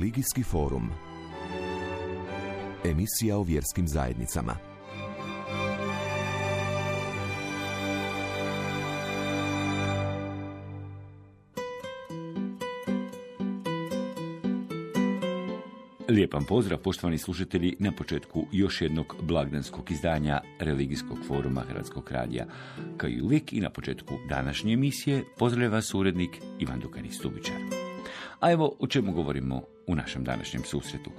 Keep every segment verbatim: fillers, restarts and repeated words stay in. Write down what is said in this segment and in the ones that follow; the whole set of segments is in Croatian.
Religijski forum. Emisija o vjerskim zajednicama. Lijepan pozdrav, poštovani slušatelji, na početku još jednog blagdanskog izdanja Religijskog foruma Hrvatskog radija. Kao i uvijek i na početku današnje emisije pozdravlja vas urednik Ivan Dukanić-Stubičar. A evo o čemu govorimo u našem današnjem susretu.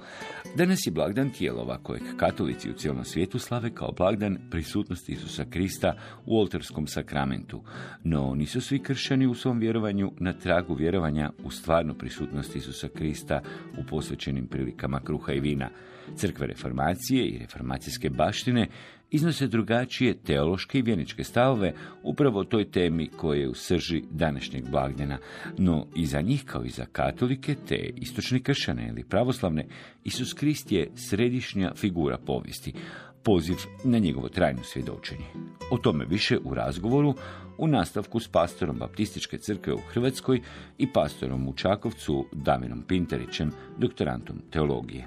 Danas je blagdan Tijelova, kojeg katolici u cijelom svijetu slave kao blagdan prisutnosti Isusa Krista u oltarskom sakramentu. No nisu svi kršćani u svom vjerovanju na tragu vjerovanja u stvarnu prisutnost Isusa Krista u posvećenim prilikama kruha i vina. Crkve reformacije i reformacijske baštine iznose drugačije teološke i vjeničke stavove upravo o toj temi koja je u srži današnjeg blagdana, no i za njih kao i za katolike te istočne kršćane ili pravoslavne, Isus Krist je središnja figura povijesti, poziv na njegovo trajno svjedočenje. O tome više u razgovoru u nastavku s pastorom Baptističke crkve u Hrvatskoj i pastorom u Čakovcu Damirom Pinterićem, doktorantom teologije.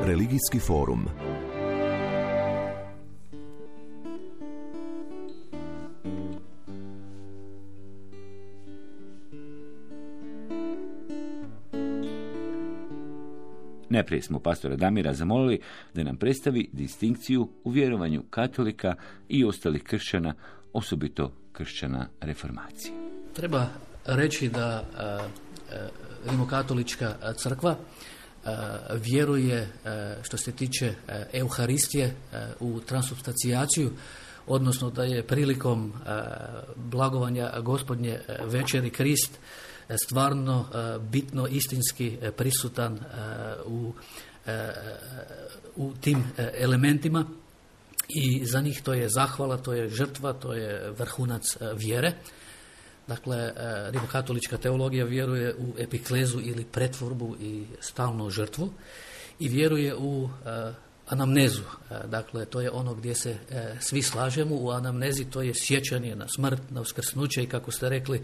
Religijski forum. Najprije smo pastora Damira zamolili da nam predstavi distinkciju u vjerovanju katolika i ostalih kršćana, osobito kršćana reformacije. Treba reći da rimokatolička crkva vjeruje što se tiče Euharistije u transubstacijaciju, odnosno da je prilikom blagovanja Gospodnje večeri Krist stvarno bitno istinski prisutan u, u tim elementima i za njih to je zahvala, to je žrtva, to je vrhunac vjere. Dakle, rimokatolička teologija vjeruje u epiklezu ili pretvorbu i stalnu žrtvu i vjeruje u anamnezu. Dakle, to je ono gdje se svi slažemo. U anamnezi to je sjećanje na smrt, na uskrsnuće i, kako ste rekli,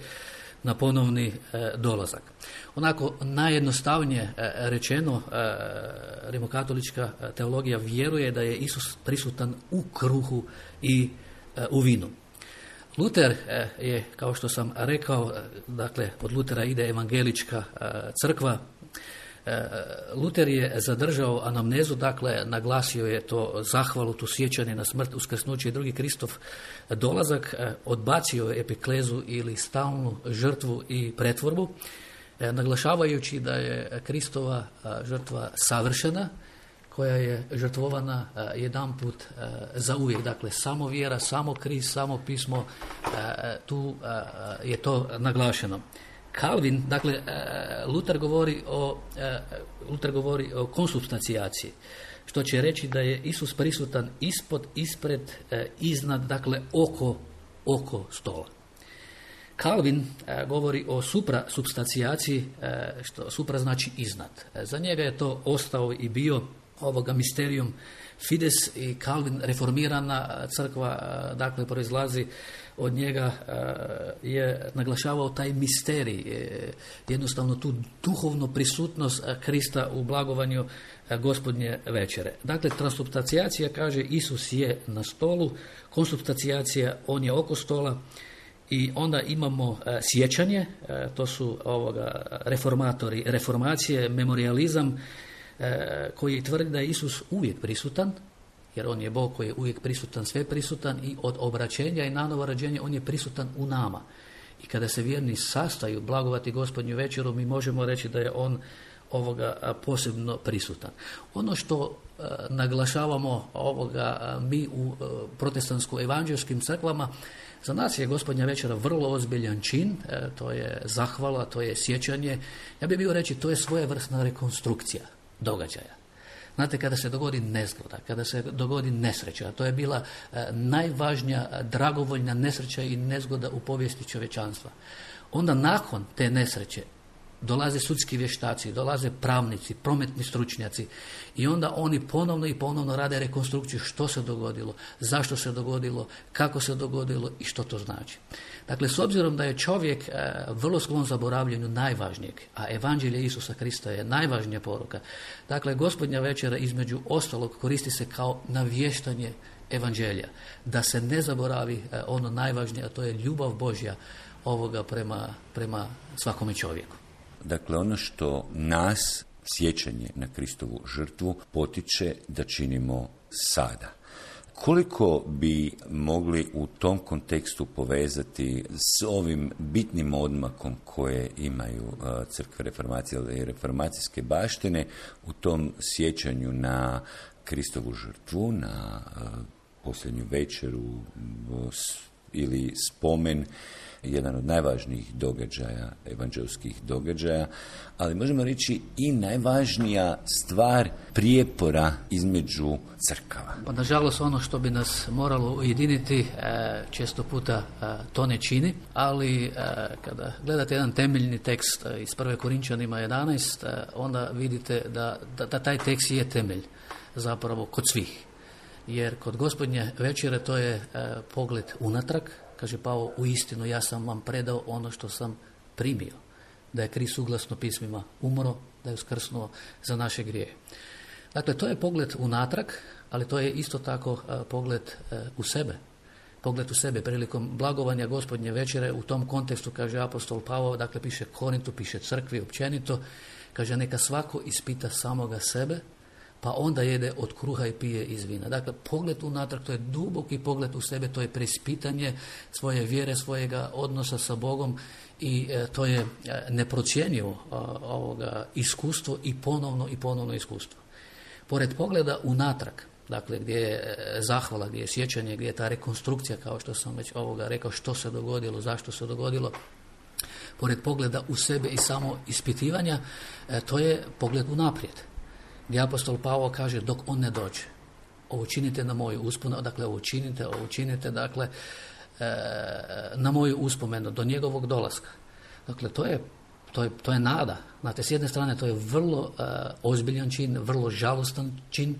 na ponovni e, dolazak. Onako najjednostavnije e, rečeno, e, rimokatolička teologija vjeruje da je Isus prisutan u kruhu i e, u vinu. Luter e, je, kao što sam rekao, e, dakle od Lutera ide evangelička e, crkva. E, Luter je zadržao anamnezu, dakle naglasio je to zahvalu, tu sjećanje na smrt, uskrsnuće i drugi Kristov dolazak, e, odbacio je epiklezu ili stalnu žrtvu i pretvorbu, e, naglašavajući da je Kristova a, žrtva savršena, koja je žrtvovana a, jedanput a, za uvijek. Dakle, samo vjera, samo Krist, samo pismo, a, tu a, je to naglašeno. Calvin, dakle, Luter govori o, Luter govori o konsubstacijaciji, što će reći da je Isus prisutan ispod, ispred, iznad, dakle, oko, oko stola. Calvin govori o suprasubstacijaciji, što supra znači iznad. Za njega je to ostao i bio ovoga misterium fides i Calvin, reformirana crkva, dakle, proizlazi od njega, je naglašavao taj misterij, jednostavno tu duhovnu prisutnost Krista u blagovanju Gospodnje večere. Dakle, transubstacijacija kaže Isus je na stolu, konsubstacijacija on je oko stola i onda imamo sjećanje, to su ovoga reformatori, reformacije, memorializam, koji tvrdi da je Isus uvijek prisutan, jer on je Bog koji je uvijek prisutan, sve prisutan i od obraćenja i nanovo rođenja on je prisutan u nama. I kada se vjerni sastaju blagovati Gospodnju večeru, mi možemo reći da je on ovoga posebno prisutan. Ono što e, naglašavamo ovoga mi u e, protestantsko-evanđelskim crkvama, za nas je Gospodnja večera vrlo ozbiljan čin, e, to je zahvala, to je sjećanje. Ja bih bio reći, to je svojevrsna rekonstrukcija događaja. Znate, kada se dogodi nezgoda, kada se dogodi nesreća, to je bila e, najvažnija dragovoljna nesreća i nezgoda u povijesti čovječanstva. Onda nakon te nesreće dolaze sudski vještaci, dolaze pravnici, prometni stručnjaci i onda oni ponovno i ponovno rade rekonstrukciju što se dogodilo, zašto se dogodilo, kako se dogodilo i što to znači. Dakle, s obzirom da je čovjek e, vrlo sklon zaboravljanju najvažnijeg, a evanđelje Isusa Krista je najvažnija poruka, dakle, Gospodnja večera između ostalog koristi se kao navještanje evanđelja, da se ne zaboravi e, ono najvažnije, a to je ljubav Božja ovoga prema, prema svakome čovjeku. Dakle, ono što nas, sjećanje na Kristovu žrtvu, potiče da činimo sada. Koliko bi mogli u tom kontekstu povezati s ovim bitnim odmakom koje imaju uh, crkve reformacije ili reformacijske baštine u tom sjećanju na Kristovu žrtvu, na uh, posljednju večeru uh, ili spomen, jedan od najvažnijih događaja, evanđelskih događaja, ali možemo reći i najvažnija stvar prijepora između crkava. Pa, nažalost, ono što bi nas moralo ujediniti često puta to ne čini, ali kada gledate jedan temeljni tekst iz prve Korinčanima jedanaest, onda vidite da, da, da taj tekst je temelj zapravo kod svih. Jer kod Gospodnje večere to je pogled unatrag. Kaže Pavao, u istinu ja sam vam predao ono što sam primio, da je Krist suglasno pismima umro, da je uskrsnuo za naše grijehe. Dakle, to je pogled unatrag, ali to je isto tako a, pogled a, u sebe. Pogled u sebe prilikom blagovanja Gospodnje večere, u tom kontekstu, kaže apostol Pavao, dakle piše Korintu, piše crkvi općenito, kaže neka svako ispita samoga sebe, pa onda jede od kruha i pije iz vina. Dakle, pogled unatrag, to je duboki pogled u sebe, to je preispitanje svoje vjere, svojega odnosa sa Bogom i e, to je e, neprocjenjivo a, ovoga iskustvo i ponovno i ponovno iskustvo. Pored pogleda unatrag, dakle gdje je zahvala, gdje je sjećanje, gdje je ta rekonstrukcija, kao što sam već ovoga rekao, što se dogodilo, zašto se dogodilo, pored pogleda u sebe i samo ispitivanja, e, to je pogled unaprijed. Gdje apostol Pavao kaže dok on ne dođe, ovo činite na moju uspomenu, dakle ovo činite, ovo činite, dakle e, na moju uspomenu, do njegovog dolaska. Dakle, to je, to je, to je nada. Znate, s jedne strane to je vrlo e, ozbiljan čin, vrlo žalostan čin,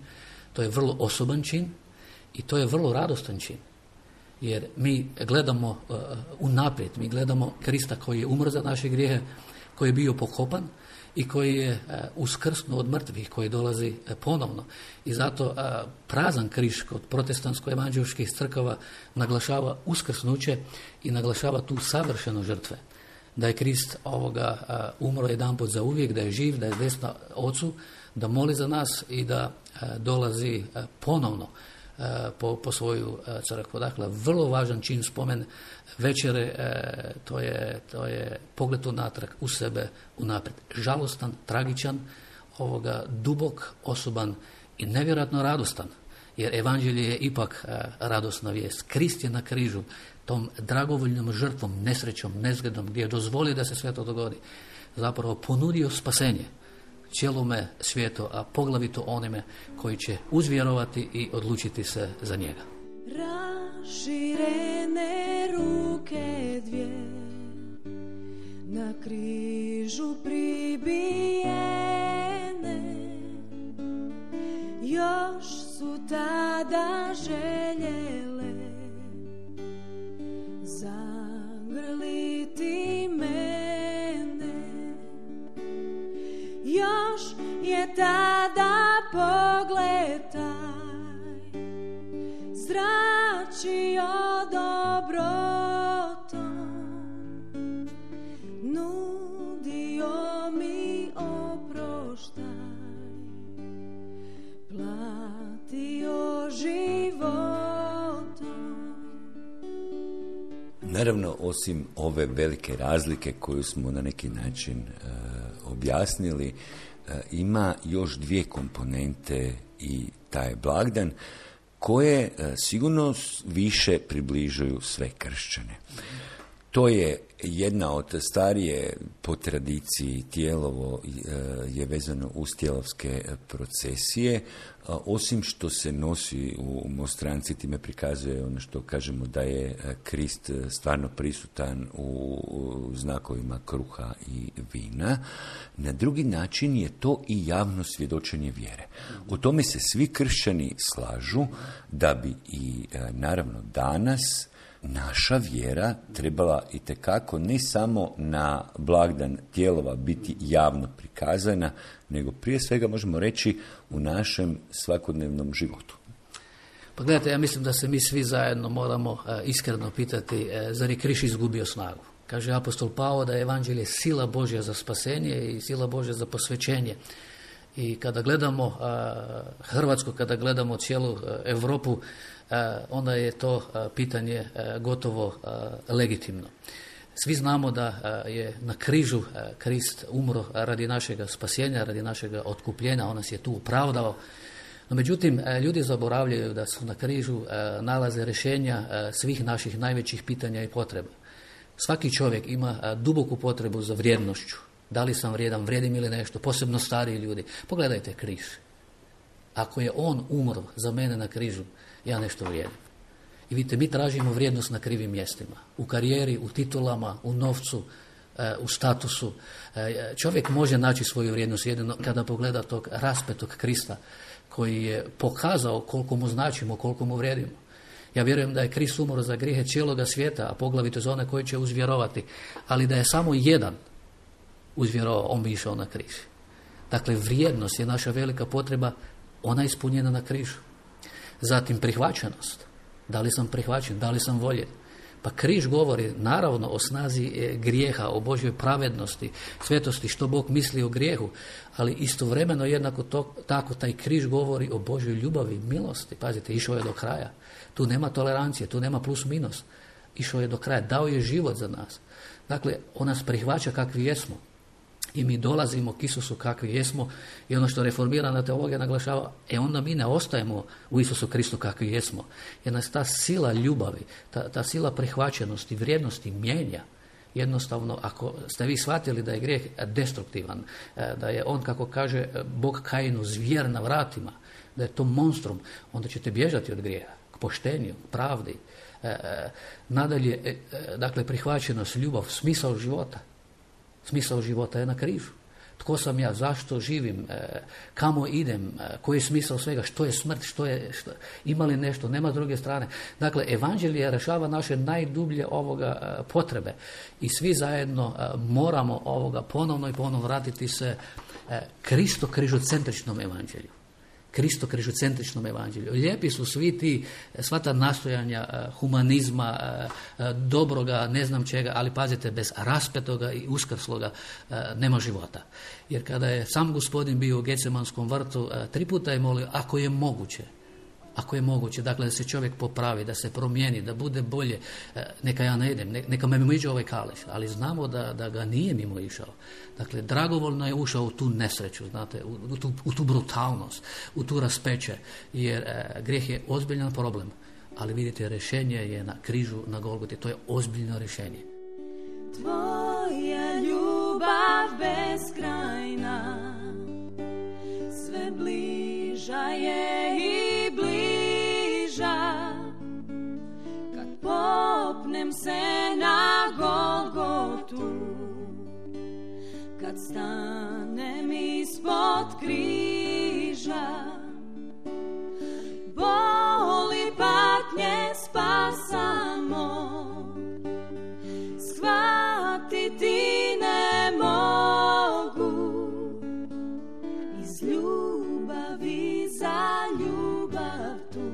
to je vrlo osoban čin i to je vrlo radostan čin. Jer mi gledamo uh, unaprijed, mi gledamo Krista koji je umro za naše grijehe, koji je bio pokopan i koji je uh, uskrsnuo od mrtvih, koji dolazi uh, ponovno. I zato uh, prazan križ kod protestantsko-evanđelskih crkava naglašava uskrsnuće i naglašava tu savršenu žrtve. Da je Krist ovoga uh, umro jedanput za uvijek, da je živ, da je desna Ocu, da moli za nas i da uh, dolazi uh, ponovno uh, po, po svoju uh, crkvu. Dakle, vrlo važan čin, spomen večere, uh, to je, to je pogled unatrag, u sebe, unaprijed. Žalostan, tragičan, ovoga, dubok, osoban i nevjerojatno radostan. Jer evanđelje je ipak uh, radosna vijest. Krist je na križu, tom dragovoljnom žrtvom, nesrećom, nezgodom, gdje je dozvolio da se sve to dogodi, zapravo ponudio spasenje cijelome svijetu, a poglavito onime koji će uzvjerovati i odlučiti se za njega. Raširene ruke dvije, na križu pribijene, još su tada željele zagrliti mene, još je tada pogled taj zračio dobrotom, nudio mi oproštaj, platio životom. Naravno, osim ove velike razlike koju smo na neki način uh, objasnili, uh, ima još dvije komponente i taj blagdan koje uh, sigurno više približuju sve kršćane. To je jedna od starije po tradiciji tijelovo je vezano uz tijelovske procesije. Osim što se nosi u monstranci, time prikazuje ono što kažemo da je Krist stvarno prisutan u znakovima kruha i vina. Na drugi način je to i javno svjedočenje vjere. U tome se svi kršćani slažu da bi i naravno danas naša vjera trebala itekako ne samo na blagdan tijelova biti javno prikazana, nego prije svega možemo reći u našem svakodnevnom životu. Pa gledajte, ja mislim da se mi svi zajedno moramo e, iskreno pitati, e, zar je križ izgubio snagu? Kaže apostol Pavao da je evanđelje sila Božja za spasenje i sila Božja za posvećenje. I kada gledamo e, Hrvatsku, kada gledamo cijelu e, Europu, e, onda je to e, pitanje e, gotovo e, legitimno. Svi znamo da je na križu Krist umro radi našega spasenja, radi našega otkupljenja, on nas je tu opravdao. No međutim, ljudi zaboravljaju da su na križu nalaze rješenja svih naših najvećih pitanja i potreba. Svaki čovjek ima duboku potrebu za vrijednošću. Da li sam vrijedan, vrijedim ili nešto, posebno stariji ljudi. Pogledajte križ. Ako je on umro za mene na križu, ja nešto vrijedim. I vidite, mi tražimo vrijednost na krivim mjestima. U karijeri, u titulama, u novcu, u statusu. Čovjek može naći svoju vrijednost jedino kada pogleda tog raspetog Krista koji je pokazao koliko mu značimo, koliko mu vrijedimo. Ja vjerujem da je Krist umro za grijehe cijeloga svijeta, a poglavito za one koji će uzvjerovati. Ali da je samo jedan uzvjerovao, on bi išao na križ. Dakle, vrijednost je naša velika potreba, ona je ispunjena na križu. Zatim prihvaćenost. Da li sam prihvaćen, da li sam voljen? Pa križ govori naravno o snazi grijeha, o Božjoj pravednosti, svetosti, što Bog misli o grijehu, ali istovremeno jednako to, tako taj križ govori o Božjoj ljubavi, milosti. Pazite, išao je do kraja. Tu nema tolerancije, tu nema plus minus. Išao je do kraja, dao je život za nas. Dakle, on nas prihvaća kakvi jesmo. I mi dolazimo k Isusu kakvi jesmo i ono što reformirana teologija naglašava, e onda mi ne ostajemo u Isusu Kristu kakvi jesmo. Jer nas ta sila ljubavi, ta, ta sila prihvaćenosti, vrijednosti mijenja. Jednostavno, ako ste vi shvatili da je grijeh destruktivan, da je on, kako kaže Bog Kainu, zvijer na vratima, da je to monstrum, onda ćete bježati od grijeha, k poštenju, pravdi. Nadalje, dakle, prihvaćenost, ljubav, smisao života. Smisao života je na križu. Tko sam ja, zašto živim, e, kamo idem, e, koji je smisao svega, što je smrt, što je, što, ima li nešto, nema s druge strane. Dakle, evanđelje rješava naše najdublje ovoga e, potrebe i svi zajedno e, moramo ovoga ponovno i ponovno vratiti se e, Kristo križocentričnom evanđelju. Kristo križocentričnom evanđelju. Lijepi su svi ti, sva ta nastojanja humanizma, dobroga, ne znam čega, ali pazite, bez raspetoga i uskrsloga nema života. Jer kada je sam Gospodin bio u Gecemanskom vrtu, tri puta je molio, ako je moguće, ako je moguće, dakle da se čovjek popravi, da se promijeni, da bude bolje, neka ja ne idem, neka me mimo iđe ovaj kališ, ali znamo da, da ga nije mimo išao. Dakle, dragovoljno je ušao u tu nesreću, znate, u, u, tu, u tu brutalnost, u tu raspeće, jer e, grijeh je ozbiljan problem, ali vidite, rješenje je na križu, na Golgoti, to je ozbiljno rješenje. Tvoja ljubav beskrajna, sve bliža je i bliža, kad popnem se na Golgotu, kad stanem ispod križa, boli patnje spasa mog, shvatiti ne mogu, iz ljubavi za ljubav tu,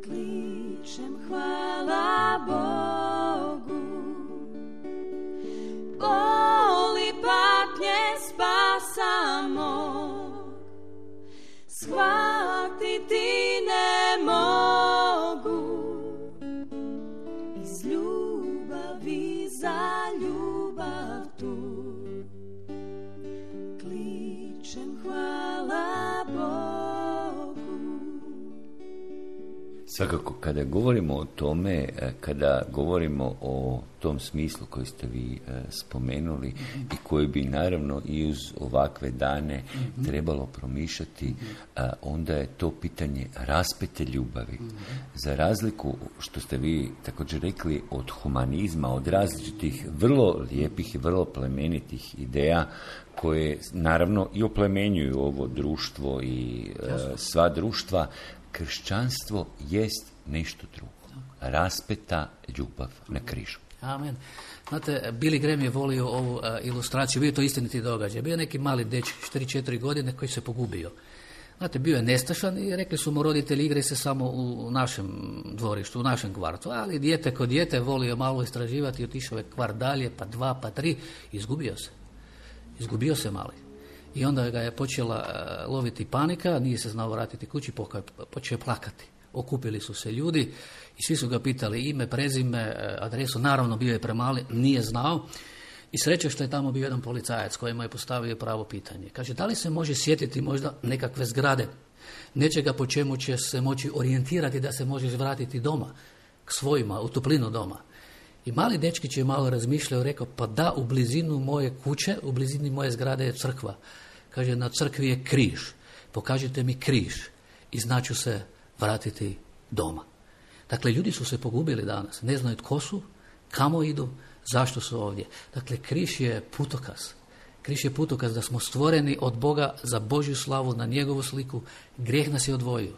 kličem hvala Bogu, boli patnje spasa mog, shvatiti ne mogu, iz ljubavi za ljubav tu, kličem hvala Bogu. Svakako, kada govorimo o tome, kada govorimo o tom smislu koji ste vi spomenuli mm-hmm. i koji bi naravno i uz ovakve dane mm-hmm. trebalo promišljati, mm-hmm. onda je to pitanje raspete ljubavi. Mm-hmm. Za razliku, što ste vi također rekli, od humanizma, od različitih vrlo lijepih i vrlo plemenitih ideja koje naravno i oplemenjuju ovo društvo i Jasno. sva društva, kršćanstvo jest nešto drugo. Raspeta ljubav na križu. Amen. Znate, Billy Graham je volio ovu uh, ilustraciju, bio je to istiniti događaj. Bio je neki mali dečak, četiri četiri godine, koji se pogubio. Znate, bio je nestašan i rekli su mu roditelji, igraj se samo u našem dvorištu, u našem kvartu. Ali dijete kod dijete volio malo istraživati, otišao je kvart dalje, pa dva, pa tri, izgubio se. Izgubio se mali. I onda ga je počela uh, loviti panika, nije se znao vratiti kući, počeo je plakati. Okupili su se ljudi i svi su ga pitali ime, prezime, adresu, naravno bio je premali, nije znao. I sreće što je tamo bio jedan policajac koji mu je postavio pravo pitanje. Kaže, da li se može sjetiti možda nekakve zgrade, nečega po čemu će se moći orijentirati da se možeš vratiti doma, k svojima, u toplinu doma. I mali dečkić je malo razmišljao, rekao, pa da, u blizinu moje kuće, u blizini moje zgrade je crkva. Kaže, na crkvi je križ, pokažite mi križ i znaću se vratiti doma. Dakle, ljudi su se pogubili danas, ne znaju tko su, kamo idu, zašto su ovdje. Dakle, križ je putokaz. Križ je putokaz da smo stvoreni od Boga za Božju slavu, na njegovu sliku, grijeh nas je odvojio.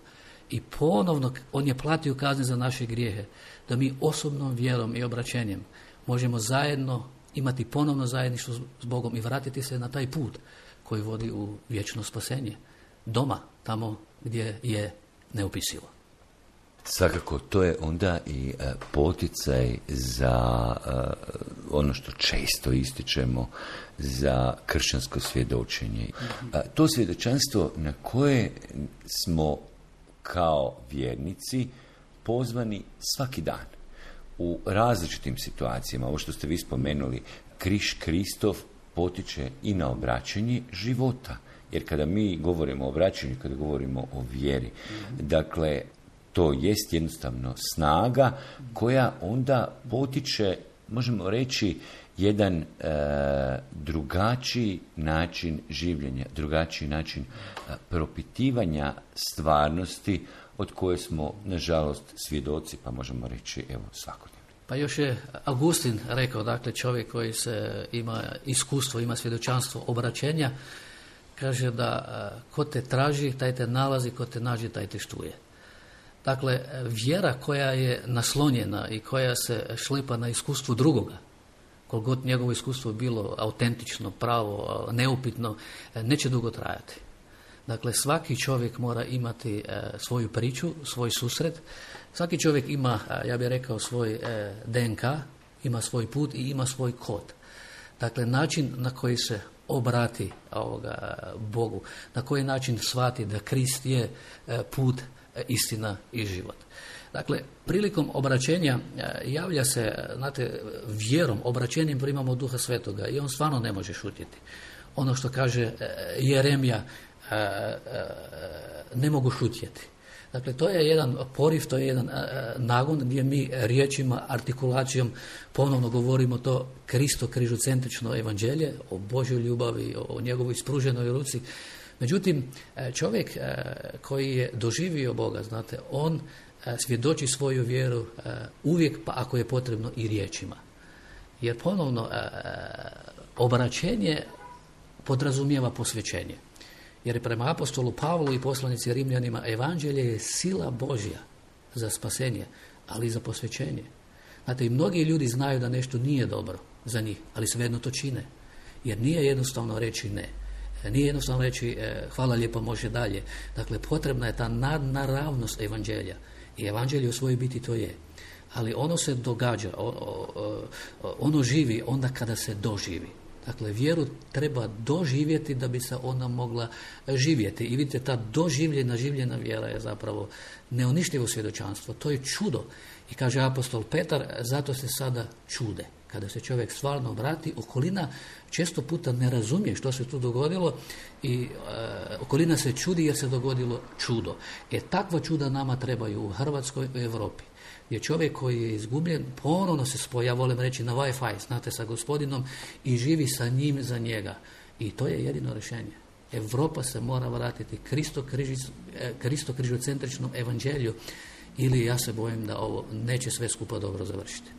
I ponovno on je platio kazne za naše grijehe, da mi osobnom vjerom i obraćenjem možemo zajedno imati ponovno zajedništvo s Bogom i vratiti se na taj put koji vodi u vječno spasenje. Doma, tamo gdje je neopisivo. Svakako, to je onda i uh, poticaj za uh, ono što često ističemo, za kršćansko svjedočenje. Uh, to svjedočanstvo na koje smo kao vjernici pozvani svaki dan u različitim situacijama. Ovo što ste vi spomenuli, križ Kristov potiče i na obraćanje života. Jer kada mi govorimo o obraćanju, kada govorimo o vjeri, mm-hmm. dakle, to jest jednostavno snaga koja onda potiče, možemo reći, jedan e, drugačiji način življenja, drugačiji način e, propitivanja stvarnosti od koje smo, nažalost, svjedoci, pa možemo reći, evo, svakodnevno. Pa još je Augustin rekao, dakle, čovjek koji se ima iskustvo, ima svjedočanstvo obraćenja, kaže da ko te traži, taj te nalazi, ko te nađe, taj te štuje. Dakle, vjera koja je naslonjena i koja se šlepa na iskustvu drugoga, koliko god njegovo iskustvo bilo autentično, pravo, neupitno, neće dugo trajati. Dakle, svaki čovjek mora imati svoju priču, svoj susret. Svaki čovjek ima, ja bih rekao, svoj D N K, ima svoj put i ima svoj kod. Dakle, način na koji se obrati ovoga Bogu, na koji način shvati da Krist je put, istina i život. Dakle, prilikom obraćenja javlja se, znate, vjerom, obraćenjem primamo Duha Svetoga i on stvarno ne može šutjeti. Ono što kaže Jeremija, ne mogu šutjeti. Dakle, to je jedan poriv, to je jedan nagon gdje mi riječima, artikulacijom ponovno govorimo to Kristo križocentrično evanđelje, o Božjoj ljubavi, o njegovoj ispruženoj ruci. Međutim, čovjek koji je doživio Boga, znate, on svjedoči svoju vjeru uvijek, pa ako je potrebno i riječima. Jer ponovno, obraćenje podrazumijeva posvećenje. Jer prema apostolu Pavlu i poslanici Rimljanima, evanđelje je sila Božja za spasenje, ali i za posvećenje. Znate, i mnogi ljudi znaju da nešto nije dobro za njih, ali svejedno to čine. Jer nije jednostavno reći ne. Nije jednostavno reći hvala lijepo, može dalje. Dakle, potrebna je ta nadnaravnost evanđelja. I evanđelje u svojoj biti to je. Ali ono se događa, ono živi onda kada se doživi. Dakle, vjeru treba doživjeti da bi se ona mogla živjeti. I vidite, ta doživljena, življena vjera je zapravo neuništivo svjedočanstvo. To je čudo. I kaže apostol Petar, zato se sada čude. kada se čovjek stvarno vrati, okolina često puta ne razumije što se tu dogodilo i e, okolina se čudi jer se dogodilo čudo. E takva čuda nama trebaju u Hrvatskoj i Europi. Je čovjek koji je izgubljen, ponovno se spoja, ja volim reći na Wi-Fi, znate, sa gospodinom i živi sa njim za njega. I to je jedino rješenje. Europa se mora vratiti Kristo, križic, Kristo križocentričnom evanđelju ili ja se bojim da ovo neće sve skupa dobro završiti.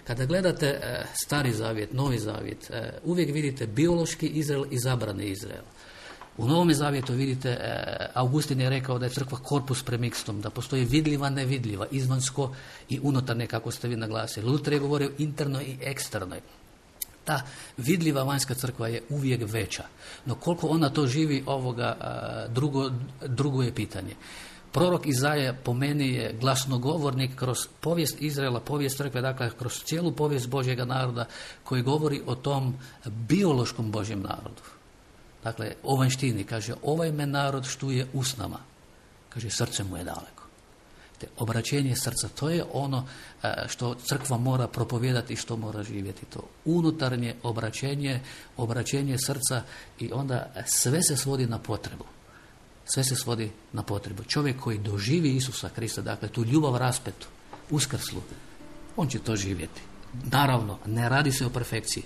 Kada gledate e, Stari zavjet, Novi zavjet, e, uvijek vidite biološki Izrael i zabrani Izrael. U Novom zavjetu vidite, e, Augustin je rekao da je crkva korpus premikstum, da postoji vidljiva, nevidljiva, izvansko i unutarnje, kako ste vi naglasili. Luter je govorio interno i eksternoj. Ta vidljiva vanjska crkva je uvijek veća, no koliko ona to živi, ovoga a, drugo, drugo je pitanje. Prorok Izaja po meni je glasnogovornik kroz povijest Izraela, povijest crkve, dakle kroz cijelu povijest Božjega naroda koji govori o tom biološkom Božjem narodu. Dakle, o vanjštini, kaže, ovaj me narod štuje usnama, kaže, srce mu je daleko. Te obraćenje srca, to je ono što crkva mora propovijedati i što mora živjeti. To unutarnje obraćenje, obraćenje srca i onda sve se svodi na potrebu. Sve se svodi na potrebu. Čovjek koji doživi Isusa Krista, dakle tu ljubav raspetu, uskrslu, on će to živjeti. Naravno, ne radi se o perfekciji,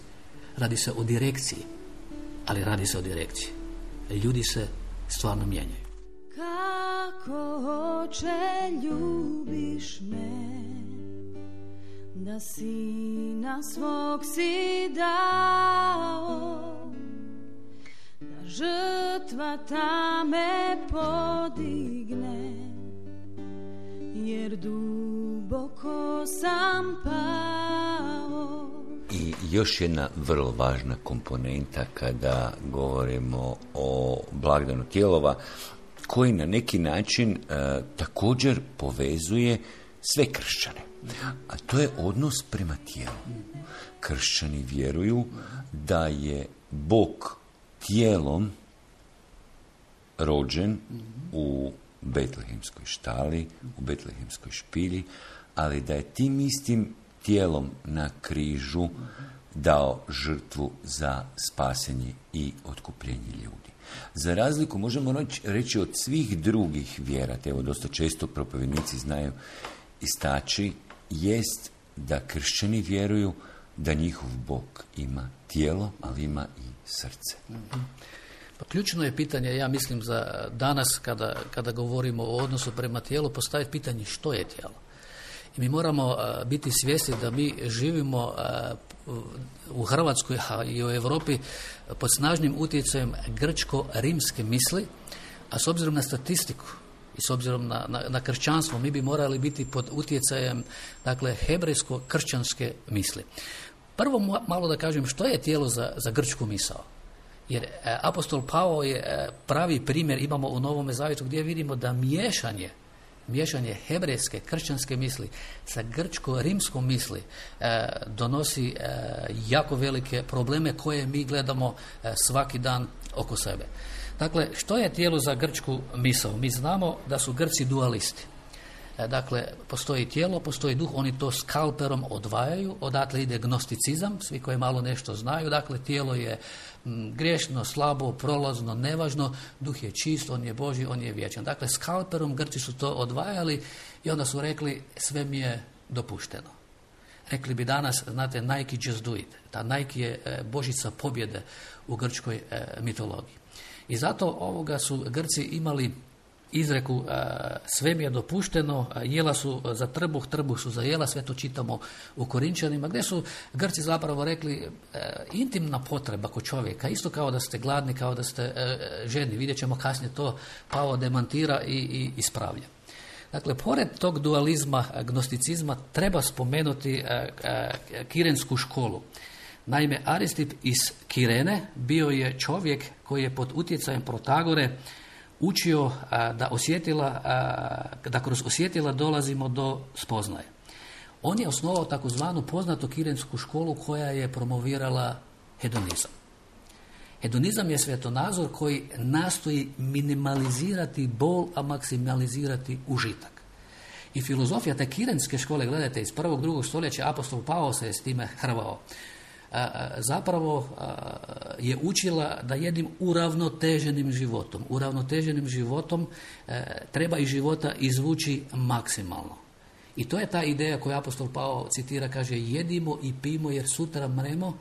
radi se o direkciji, ali radi se o direkciji. Ljudi se stvarno mijenjaju. Kako oče ljubiš me, da sina svog si dao, da žrtva ta me podigne, jer duboko sam pao. I još jedna vrlo važna komponenta kada govorimo o blagdanu Tijelova, koji na neki način e, također povezuje sve kršćane. A to je odnos prema tijelu. Kršćani vjeruju da je Bog tijelom rođen u betlehemskoj štali, u betlehemskoj špilji, ali da je tim istim tijelom na križu dao žrtvu za spasenje i otkupljenje ljudi. Za razliku, možemo reći, od svih drugih vjera, te evo dosta često propovjednici znaju istaći, jest da kršćani vjeruju da njihov Bog ima tijelo, ali ima i srce. Mm-hmm. Pa ključno je pitanje, ja mislim, za danas kada, kada govorimo o odnosu prema tijelu, postaviti pitanje što je tijelo. I mi moramo uh, biti svjesni da mi živimo uh, u Hrvatskoj, a i u Europi pod snažnim utjecajem grčko-rimske misli, a s obzirom na statistiku i s obzirom na, na, na kršćanstvo, mi bi morali biti pod utjecajem, dakle, hebrejsko-kršćanske misli. Prvo malo da kažem što je tijelo za, za grčku misao. Jer e, apostol Pavao je e, pravi primjer, imamo u Novome zavjetu gdje vidimo da miješanje miješanje hebrejske, kršćanske misli sa grčko-rimskom misli e, donosi e, jako velike probleme koje mi gledamo e, svaki dan oko sebe. Dakle, što je tijelo za grčku misao? Mi znamo da su Grci dualisti. E, dakle, postoji tijelo, postoji duh, oni to skalperom odvajaju, odatle ide gnosticizam, svi koji malo nešto znaju, dakle, tijelo je m, griješno, slabo, prolazno, nevažno, duh je čist, on je Božji, on je vječan. Dakle, skalperom Grci su to odvajali i onda su rekli, sve mi je dopušteno. Rekli bi danas, znate, Nike just do it. Ta Nike je e, božica pobjede u grčkoj e, mitologiji. I zato ovoga su Grci imali izreku sve mi je dopušteno, jela su za trbuh, trbuh su za jela, sve to čitamo u Korinčanima, gdje su Grci zapravo rekli intimna potreba kod čovjeka, isto kao da ste gladni, kao da ste žedni. Vidjet ćemo kasnije to, Pavao demantira i, i ispravlja. Dakle, pored tog dualizma, gnosticizma, treba spomenuti kirensku školu. Naime, Aristip iz Kirene bio je čovjek koji je pod utjecajem Protagore učio a, da osjetila, a, da kroz osjetila dolazimo do spoznaje. On je osnovao takozvanu poznatu kirensku školu koja je promovirala hedonizam. Hedonizam je svjetonazor koji nastoji minimalizirati bol, a maksimalizirati užitak. I filozofija te kirenske škole, gledajte, iz prvog, drugog stoljeća apostol Pavao se je s time hrvao. Zapravo je učila da jednim uravnoteženim životom, uravnoteženim životom treba iz života izvući maksimalno. I to je ta ideja koju apostol Pavao citira, kaže jedimo i pijmo jer sutra mremo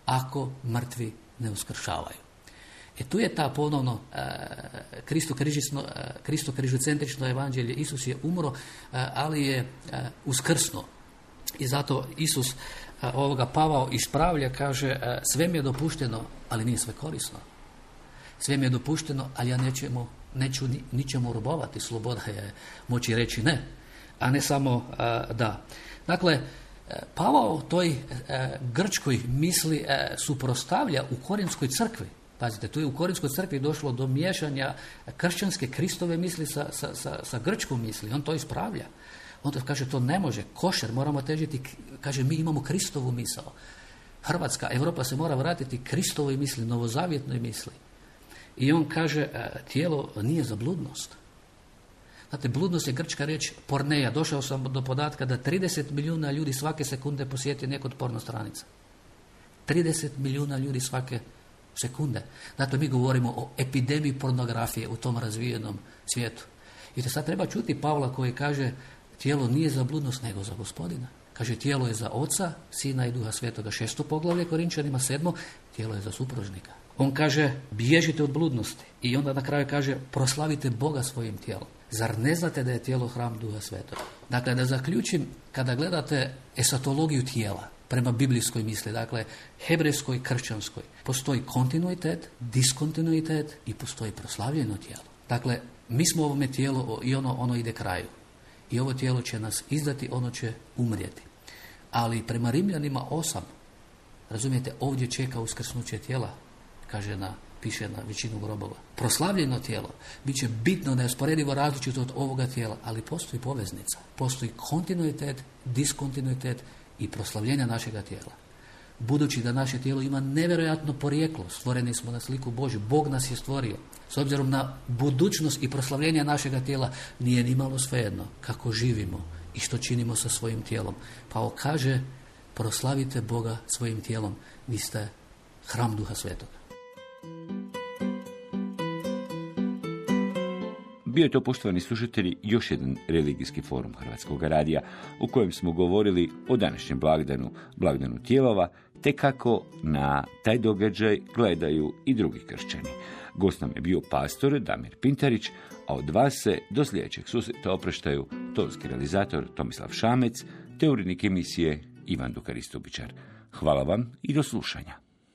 ako mrtvi ne uskršavaju. E tu je ta ponovno Kristo križocentrično evanđelje. Isus je umro, ali je uskrsno. I zato Isus ovoga Pavao ispravlja, kaže sve mi je dopušteno, ali nije sve korisno. Sve mi je dopušteno, ali ja nećemo, neću ni, ničemu robovati. Sloboda je moći reći ne, a ne samo da. Dakle, Pavao toj grčkoj misli suprotstavlja u Korinskoj crkvi. Pazite, tu je u Korinskoj crkvi došlo do miješanja kršćanske Kristove misli sa, sa, sa, sa grčkom misli. On to ispravlja. On to kaže, to ne može, košer, moramo težiti, kaže, mi imamo Kristovu misao. Hrvatska, Europa se mora vratiti Kristovoj misli, novozavjetnoj misli. I on kaže, tijelo nije za bludnost. Znate, bludnost je grčka riječ porneja. Došao sam do podatka da trideset milijuna ljudi svake sekunde posjeti neku od porno stranica. trideset milijuna ljudi svake sekunde. Zato mi govorimo o epidemiji pornografije u tom razvijenom svijetu. I to sad treba čuti Pavla koji kaže, tijelo nije za bludnost, nego za Gospodina. Kaže, tijelo je za Oca, Sina i Duha Svetoga. Šesto poglavlje Korinčanima, sedmo, tijelo je za supružnika. On kaže, bježite od bludnosti. I onda na kraju kaže, proslavite Boga svojim tijelom. Zar ne znate da je tijelo hram Duha Svetoga? Dakle, da zaključim, kada gledate esatologiju tijela, prema biblijskoj misli, dakle, hebrejskoj, kršćanskoj, postoji kontinuitet, diskontinuitet i postoji proslavljeno tijelo. Dakle, mi smo ovome tijelo i ono, ono ide kraju. I ovo tijelo će nas izdati, ono će umrijeti. Ali prema Rimljanima osam, razumijete, ovdje čeka uskrsnuće tijela, kaže na, piše na većinu grobova. Proslavljeno tijelo bit će bitno, neusporedivo različito od ovoga tijela, ali postoji poveznica. Postoji kontinuitet, diskontinuitet i proslavljenja našega tijela. Budući da naše tijelo ima nevjerojatno porijeklo, stvoreni smo na sliku Božju, Bog nas je stvorio. S obzirom na budućnost i proslavljenje našega tijela, nije ni malo svejedno kako živimo i što činimo sa svojim tijelom. Pa on kaže, proslavite Boga svojim tijelom, vi ste hram Duha Svetoga. Bio je to, poštovani slušatelji, još jedan religijski forum Hrvatskog radija u kojem smo govorili o današnjem blagdanu, blagdanu tijelova, te kako na taj događaj gledaju i drugi kršćani. Gost nam je bio pastor Damir Pintarić, a od vas se do sljedećeg susreta opraštaju tonski realizator Tomislav Šamec te urednik emisije Ivan Dukaristovičar. Hvala vam i do slušanja.